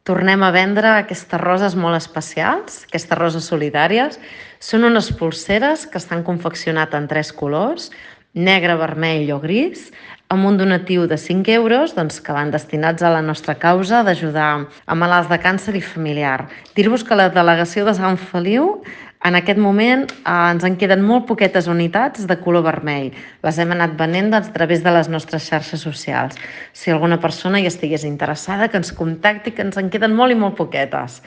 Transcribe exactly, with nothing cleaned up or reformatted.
tornem a vendre aquestes roses molt especials, aquestes roses solidàries. Són unes polseres que estan confeccionades en tres colors, negre, vermell o gris, amb un donatiu de cinc euros doncs, que van destinats a la nostra causa d'ajudar a malalts de càncer i familiar. Dir-vos que la delegació de Sant Feliu en aquest moment eh, ens en queden molt poquetes unitats de color vermell. Les hem anat venent doncs, a través de les nostres xarxes socials. Si alguna persona hi estigués interessada, que ens contacti, que ens en queden molt i molt poquetes.